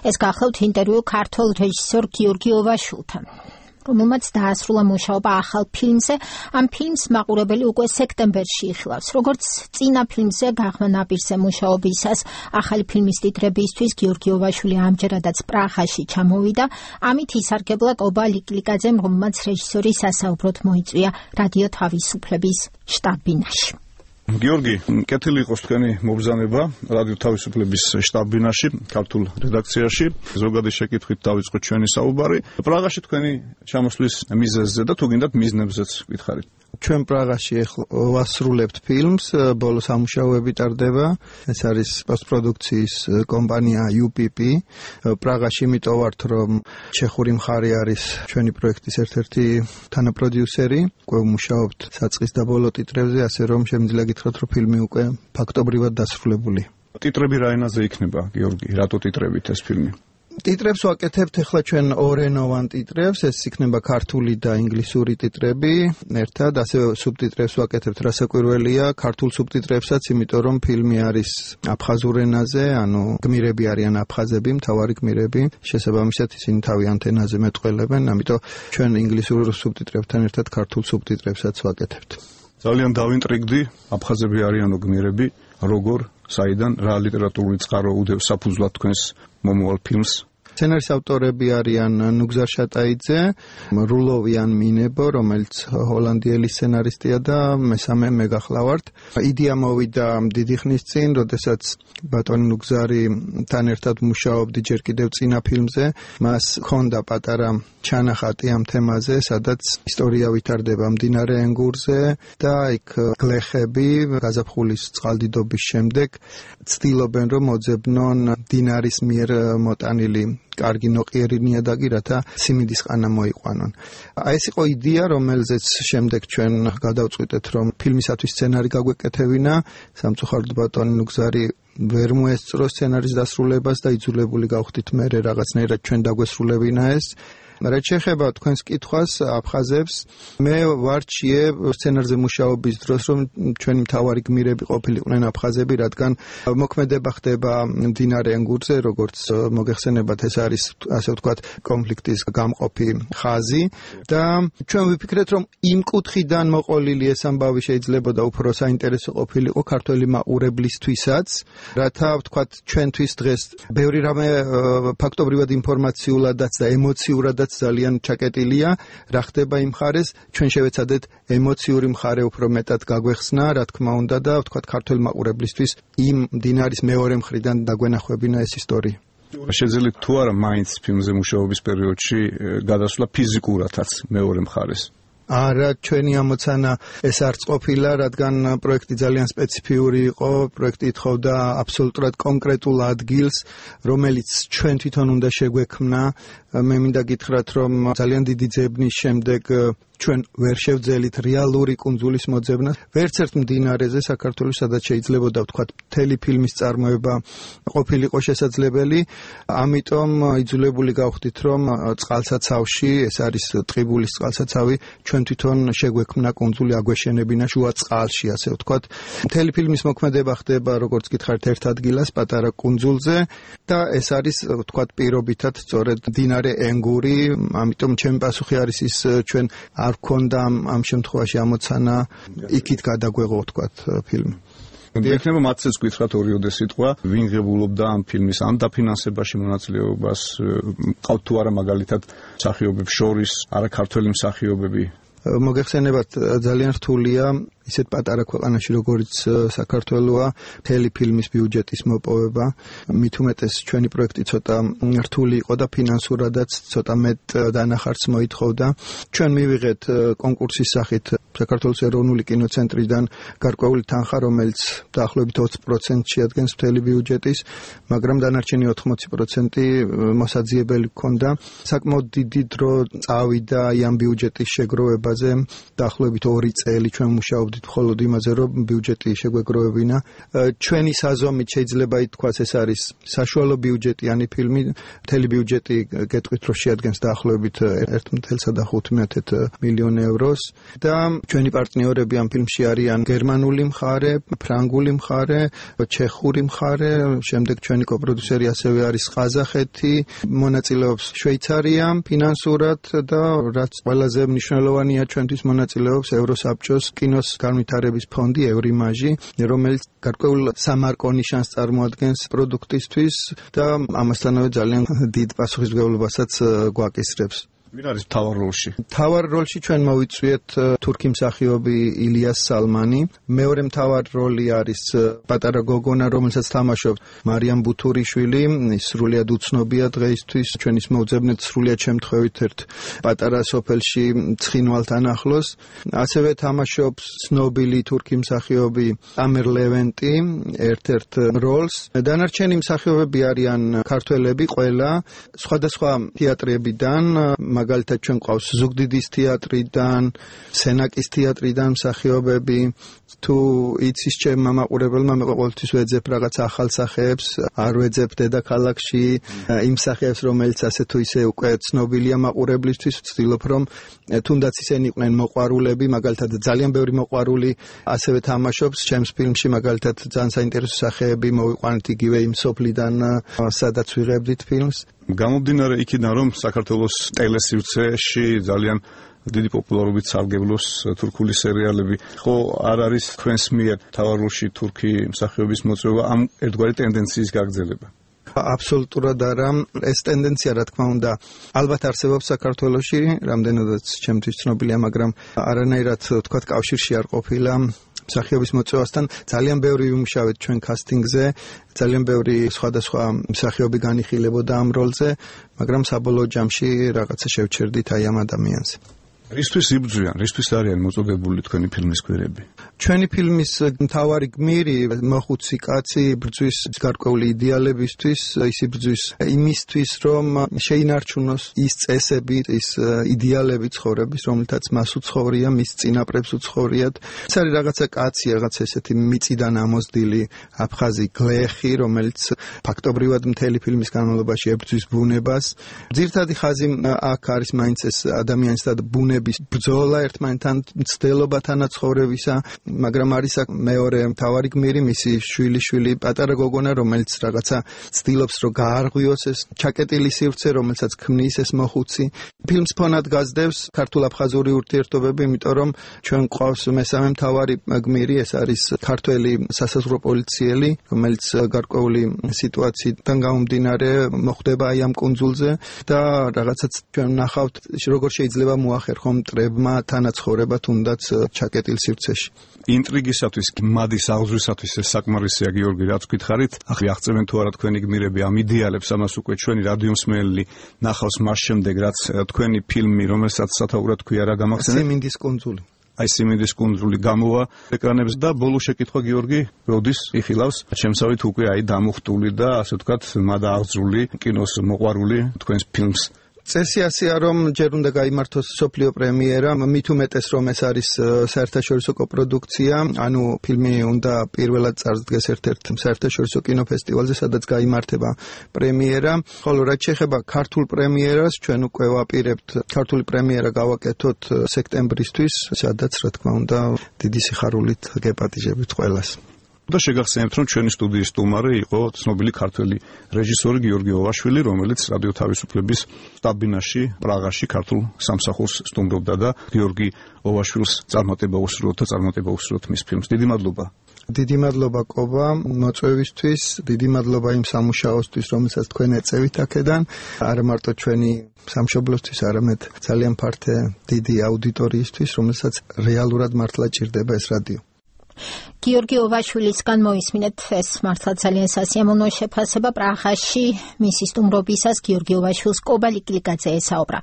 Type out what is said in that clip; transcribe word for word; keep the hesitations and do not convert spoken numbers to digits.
ეს გახლავთ ინტერვიუ ქართველ რეჟისორ გიორგი ოვაშვილთან, რომელმაც დაასრულა მუშაობა ახალ ფილმზე. ამ ფილმს მაყურებელი უკვე სექტემბერში იხილავს. როგორც წინა ფილმზე გაღმა ნაპირზე მუშაობისას ახალი ფილმის ტიტრებისთვის გიორგი ოვაშვილი ამჯერადაც პრაღაში ჩამოვიდა. ამით ისარგებლა კობა ლიკლიკაძემ, რომელმაც რეჟისორი სასაუბროდ მოიწვია რადიო თავისუფლების შტაბ-ბინაში. გიორგი, კეთილი იყოს თქვენი მობრძანება რადიო თავისუფლების შტაბ-ბინაში, ქართულ რედაქციაში. ზოგადი შეკითხვით დავიწყოთ ჩვენი საუბარი. პრაღაში თქვენი ჩამოსვლის მიზეზზე და თუ გინდათ მიზნებზეც გითხარით. ჩვენ პრაღაში ვასრულებთ ფილმს, ბოლო სამუშაოები ტარდება. ეს არის პოსტპროდუქციის კომპანია იუ პი პი. პრაღაში იმიტომ ვართ, რომ ჩეხური მხარე არის ჩვენი პროექტის ერთ-ერთი თანაპროდიუსერი. უკვე ვმუშაობთ საწყის და ბოლო ტიტრებზე, ასე რომ შემიძლია გითხრათ, რომ ფილმი უკვე ფაქტობრივად დასრულებული. ტიტრები რა ენაზე იქნება, გიორგი? რატო ტიტრებით ეს ფილმი? ტიტრებს ვაკეთებთ ახლა ჩვენ ორენოვან ტიტრებს, ეს იქნება ქართული და ინგლისური ტიტრები ერთად, ასევე სუბტიტრებს ვაკეთებთ, რასაკვირველია, ქართულ სუბტიტრებსაც, იმიტომ რომ ფილმი არის აფხაზურ ენაზე, ანუ გმირები არიან აფხაზები, მთავარი გმირები, შესაბამისად ისინი თავიანთ ენაზე მეტყველებენ, ამიტომ ჩვენ ინგლისურ სუბტიტრებთან ერთად ქართულ სუბტიტრებსაც ვაკეთებთ. ძალიან დავინტრიგდი, აფხაზები არიანო გმირები, როგორ, საიდან, რა ლიტერატურული წყარო უდევს საფუძვლად თქვენს მომავალ ფილმს? სცენარის ავტორები არიან ნუგზარ შატაიძე, რულოვიან მინებო, რომელიც ჰოლანდიელი სცენარისტია და მესამე მე გახლავართ. იდეა მოვიდა დიდი ხნის წინ, როდესაც ბატონი ნუგზართან ერთად მუშაობდი ჯერ კიდევ წინა ფილმზე. მას ჰქონდა პატარა ჩანახატი ამ თემაზე, სადაც ისტორია ვითარდება მდინარე ენგურზე და იქ გლეხები გაზაფხულის წყალდიდობის შემდეგ ცდილობენ, რომ მოძებნონ მდინარის მიერ მოტანილი კარგი ნოყიერი ნიადაგი, რათა სიმინდის ყანა მოიყვანონ. აი ეს იყო იდეა, რომელზეც შემდეგ ჩვენ გადავწყვიტეთ, რომ ფილმისათვის სცენარი გაგვეკეთებინა. სამწუხაროდ ბატონი ნუგზარი ვერ მოესწრო სცენარის დასრულებას და იძულებული გავხდით მერე რაღაცნაირად ჩვენ დაგვესრულებინა ეს. რაც შეეხება თქვენს კითხვას აფხაზებს, მე ვარჩიე სცენარზე მუშაობის დროს, რომ ჩვენი მთავარი გმირები ყოფილიყვნენ აფხაზები, რადგან მოქმედება ხდება მდინარე ენგურზე, როგორც მოგეხსენებათ, ეს არის ასე ვთქვათ კონფლიქტის გამყოფი ხაზი და ჩვენ ვიფიქრეთ, რომ იმ კუთხიდან მოყოლილი ეს ამბავი შეიძლებოდა უფრო საინტერესო ყოფილიყო ქართველი მაყურებლისთვისაც, რათა ვთქვათ ჩვენთვის დღეს ბევრი რამე ფაქტობრივად ინფორმაციულადაც და ემოციურადაც ძალიან ჩაკეტილია, რა ხდება იმ მხარეს, ჩვენ შევეცადეთ ემოციური მხარე უფრო მეტად გაგვეხსნა, რა თქმა უნდა და ვთქვათ ქართველ მაყურებლისთვის იმ მდინარის მეორე მხრიდან დაგვენახვებინა ეს ისტორია. შეძლებთ თუ არა მაინც ფილმზე მუშაობის პერიოდში გადასვლა ფიზიკურადაც მეორე მხარეს? არა, ჩვენი ამოცანა ეს არც ყოფილა, რადგან პროექტი ძალიან სპეციფიური იყო, პროექტი ითხოვდა აბსოლუტურად კონკრეტულ ადგილს, რომელიც ჩვენ თვითონ უნდა შეგვექმნა. მე მინდა გითხრათ, რომ ძალიან დიდი ძებნის შემდეგ ჩვენ ვერ შევძელით რეალური კუნძულის მოძებნას, ვერც ერთ მდინარეზე საქართველოს, სადაც შეიძლებოდა ვთქვათ მთელი ფილმის წარმოება ყოფილიყო შესაძლებელი, ამიტომ იძულებული გავხდით, რომ წყალსაცავში, ეს არის ტყიბულის წყალსაცავი, ჩვენ თვითონ შეგვექმნა კუნძული, აგვეშენებინა შუა წყალში, ასე ვთქვათ. მთელი ფილმის მოქმედება ხდება, როგორც გითხარით, ერთ ადგილას, პატარა კუნძულზე და ეს არის ვთქვათ პირობითად სწორედ მდინარე ენგური, ამიტომ ჩემი პასუხი არის ის, ჩვენ არ გქონდა ამ შემთხვევაში ამოცანა იქით გადაგვეღო ვთქვათ ფილმი. იქნება მათცეც გითხრათ ორიოდე სიტყვა, ვინ ღებულობდა ამ ფილმის ან დაფინანსებაში მონაწილეობას, ყავთ თუ არა მაგალითად მსახიობებს შორის, არა ქართველი მსახიობები? მოგეხსენებათ, ძალიან რთულია ისეთ პატარა ქვეყანაში, როგორც საქართველოა, მთელი ფილმის ბიუჯეტის მოპოვება. მით უმეტეს ჩვენი პროექტი ცოტა რთული იყო და ფინანსურადაც ცოტა მეტ დანახარს მოითხოვდა. ჩვენ მივიღეთ კონკურსის სახით საქართველოს ეროვნული კინოცენტრიდან გარკვეული თანხა, რომელიც დაახლოებით ოცი პროცენტს შეადგენს მთელი ბიუჯეტის, მაგრამ დანარჩენი ოთხმოცი პროცენტი მოსაძიებელი ჰქონდა. საკმაოდ დიდი დრო წავიდა ამ ბიუჯეტის შეგროვებაზე, დაახლოებით ორი წელი ჩვენ მუშაობდით მხოლოდ იმაზე, რომ ბიუჯეტი შეგვეგროვებინა. ჩვენი საზომით შეიძლება ითქვას, ეს არის საშუალო ბიუჯეტიანი ფილმი, მთელი ბიუჯეტი გეტყვით, რომ შეადგენს დაახლოებით ერთ ათას ხუთმეტ მილიონ ევროს და ჩვენი პარტნიორები ამ ფილმში არიან გერმანული მხარე, ფრანგული მხარე, ჩეხური მხარე, შემდეგ ჩვენი კოპროდიუსერი ასევე არის ყაზახეთი, მონაწილეობს შვეიცარია ფინანსურად და რაც ყველაზე მნიშვნელოვანია ჩვენთვის მონაწილეობს ევროსაბჭოს კინოს განვითარების ფონდი ევრიმაჟი, რომელიც გარკვეულ სამარკო ნიშანს წარმოადგენს პროდუქტისთვის და ამასთანავე ძალიან დიდ პასუხისმგებლობასაც გვაკისრებს. ვინ არის მთავარ როლში? მთავარ როლში ჩვენ მოვიწვიეთ თურქი მსახიობი ილიას სალმანი. მეორე მთავარ როლი არის პატარა გოგონა, რომელსაც თამაშობს მარიამ ბუთურიშვილი. ის სრულიად უცნობია დღეისთვის. ჩვენ ის მოვძებნეთ სრულიად შემთხვევით ერთ პატარა სოფელში ცხინვალთან ახლოს. ასევე თამაშობს ცნობილი თურქი მსახიობი ამერ ლევენტი ერთ-ერთ როლს. დანარჩენი მსახიობები არიან ქართველები ყველა სხვადასხვა თეატრებიდან, მაგალითად ჩვენ ყავს ზუგდიდის თეატრიდან, სენაკის თეატრიდან მსახიობები. თუ იცის ჩემმა მაყურებელმა, მე ყოველთვის ვეძებ რაღაც ახალ სახეებს, არ ვეძებ დედაქალაქში იმ სახეებს, რომელიც ასე თუ ისე უკვე ცნობილია მაყურებლისთვის, ვცდილობ რომ თუნდაც ისინი იყვნენ მოყვარულები, მაგალითად ძალიან ბევრი მოყვარული ასევე თამაშობს ჩემს ფილმში, მაგალითად ძალიან საინტერესო სახეები მოვიყვანეთ იგივე იმ სოფლიდან, სადაც ვიღებდით ფილმს. გამომდინარე იქიდან, რომ საქართველოს ტელესივრცეში ძალიან დიდი პოპულარობით სარგებლობს თურქული სერიალები, ხო არ არის თქვენს მიერ მთავარ როლში თურქი მსახიობის მოწვევა ამ ერთგვარი ტენდენციის გაგრძელება? აბსოლუტურად არა. ეს ტენდენცია, რა თქმა უნდა, ალბათ არსებობს საქართველოში, რამდენადაც ჩემთვის ცნობილია, მაგრამ არანაირად თქვათ კავშირში არ ყოფილა მსახიობის მოწვევასთან. ძალიან ბევრი ვიმუშავეთ ჩვენ კასტინგზე, ძალიან ბევრი სხვადასხვა მსახიობი განიხილებოდა ამ როლზე, მაგრამ საბოლოო ჯამში რაღაცა შევჩერდით აი ამ ადამიანს. რისთვის იბრძვიან, რისთვის არიან მოწოდებული თქვენი ფილმის გვერები? ჩვენი ფილმის მთავარი გმირი მოხუცი კაცი იბრძვის გარკვეული იდეალებისთვის, ის იბრძვის იმისთვის, რომ შეინარჩუნოს ის წესები, ის იდეალები ცხოვრების, რომელთაც მას უცხოვრია, მის წინაპრებს უცხოვრიათ. ეს არის რაღაცა კაცი, რაღაცა ესეთი მიწიდან ამოსდილი აფხაზი გლეხი, რომელიც ფაქტობრივად მთელი ფილმის განმავლობაში ებრძვის ბუნებას. ძირითადი ხაზი აქ არის მაინც ეს ადამიანის და ბუნების ბრძოლა ერთმანეთთან, მცდელობა თანაცხოვრებისა, მაგრამ არის აქ მეორე მთავარი გმირი, მისი შვილიშვილი პატარა გოგონა, რომელიც რაღაცა ცდილობს რომ გაარღვიოს ეს ჩაკეტილი სივრცე, რომელსაც ქმნის ეს მოხუცი. ფილმს ფონად გასდევს ქართულ-აფხაზური ურთიერთობები, იმიტომ რომ ჩვენ გვყავს მესამე მთავარი გმირი, ეს არის ქართველი სასაზღვრო პოლიციელი, რომელიც გარკვეული სიტუაციიდან გამომდინარე მოხვდება აი ამ კუნძულზე და რაღაცაც ჩვენ ნახავთ როგორ შეიძლება მოახერხონ მტრებმა თანაცხოვრება თუნდაც ჩაკეტილ სივრცეში. ინტრიგისათვის, მადის აღზრვისათვის ეს საკმარისია, გიორგი, რაც გითხარით. ახლა აღწევენ თუ არა თქვენი გმირები ამ იდეალებს, ამას უკვე ჩვენი რადიომსმენელი ნახავს მას შემდეგ, რაც თქვენი ფილმი, რომელსაც სათაურად ქვია, რა გამახსენეთ? სიმინდის კუნძული. აი სიმინდის კუნძული გამოვა ეკრანებზე და ბოლო შეკითხვა, გიორგი, როდის იხილავს შემსავით უკვე აი დამუხტული და ასე ვთქვათ, მადა აღზრული კინოს მოყვარული თქვენს ფილმს? წესი ასეა, რომ ჯერ უნდა გაიმართოს სოფლიო პრემიერა, მით უმეტეს რომ ეს არის საერთაშორისო კოპროდუქცია, ანუ ფილმი უნდა პირველად წარსდგეს ერთ-ერთ საერთაშორისო კინოფესტივალზე, სადაც გაიმართება პრემიერა. ხოლო რაც შეეხება ქართულ პრემიერას, ჩვენ უკვე ვაპირებთ ქართული პრემიერა გავაკეთოთ სექტემბრისთვის, სადაც რა თქმა უნდა დიდი სიხარულით გეპატიჟებით ყველას. და შეგახსენებთ, რომ ჩვენი სტუდიის სტუმარი იყო ცნობილი ქართველი რეჟისორი გიორგი ოვაშვილი, რომელიც რადიო თავისუფლების შტაბ-ბინაში, პრაღაში ქართულ სამსახურს სტუმრობდა და გიორგი ოვაშვილს წარმატება უსურვოთ და წარმატება უსურვოთ მის ფილმს. დიდი მადლობა. დიდი მადლობა კობა მოწვევისთვის, დიდი მადლობა იმ სამუშაოსთვის, რომელსაც თქვენ ეწევით აქედან, არა მარტო ჩვენი სამშობლოსთვის, არამედ ძალიან ფართე დიდი აუდიტორიისთვის, რომელსაც რეალურად მართლა ჭირდება ეს რადიო. გიორგი ოვაშვილისგან მოისმინეთ ეს მართლა ძალიან სასიამოვნო შეფასება პრაღაში მისი სტუმრობისას გიორგი ოვაშვილს კობა ლიკილიკაძე ესაუბრა.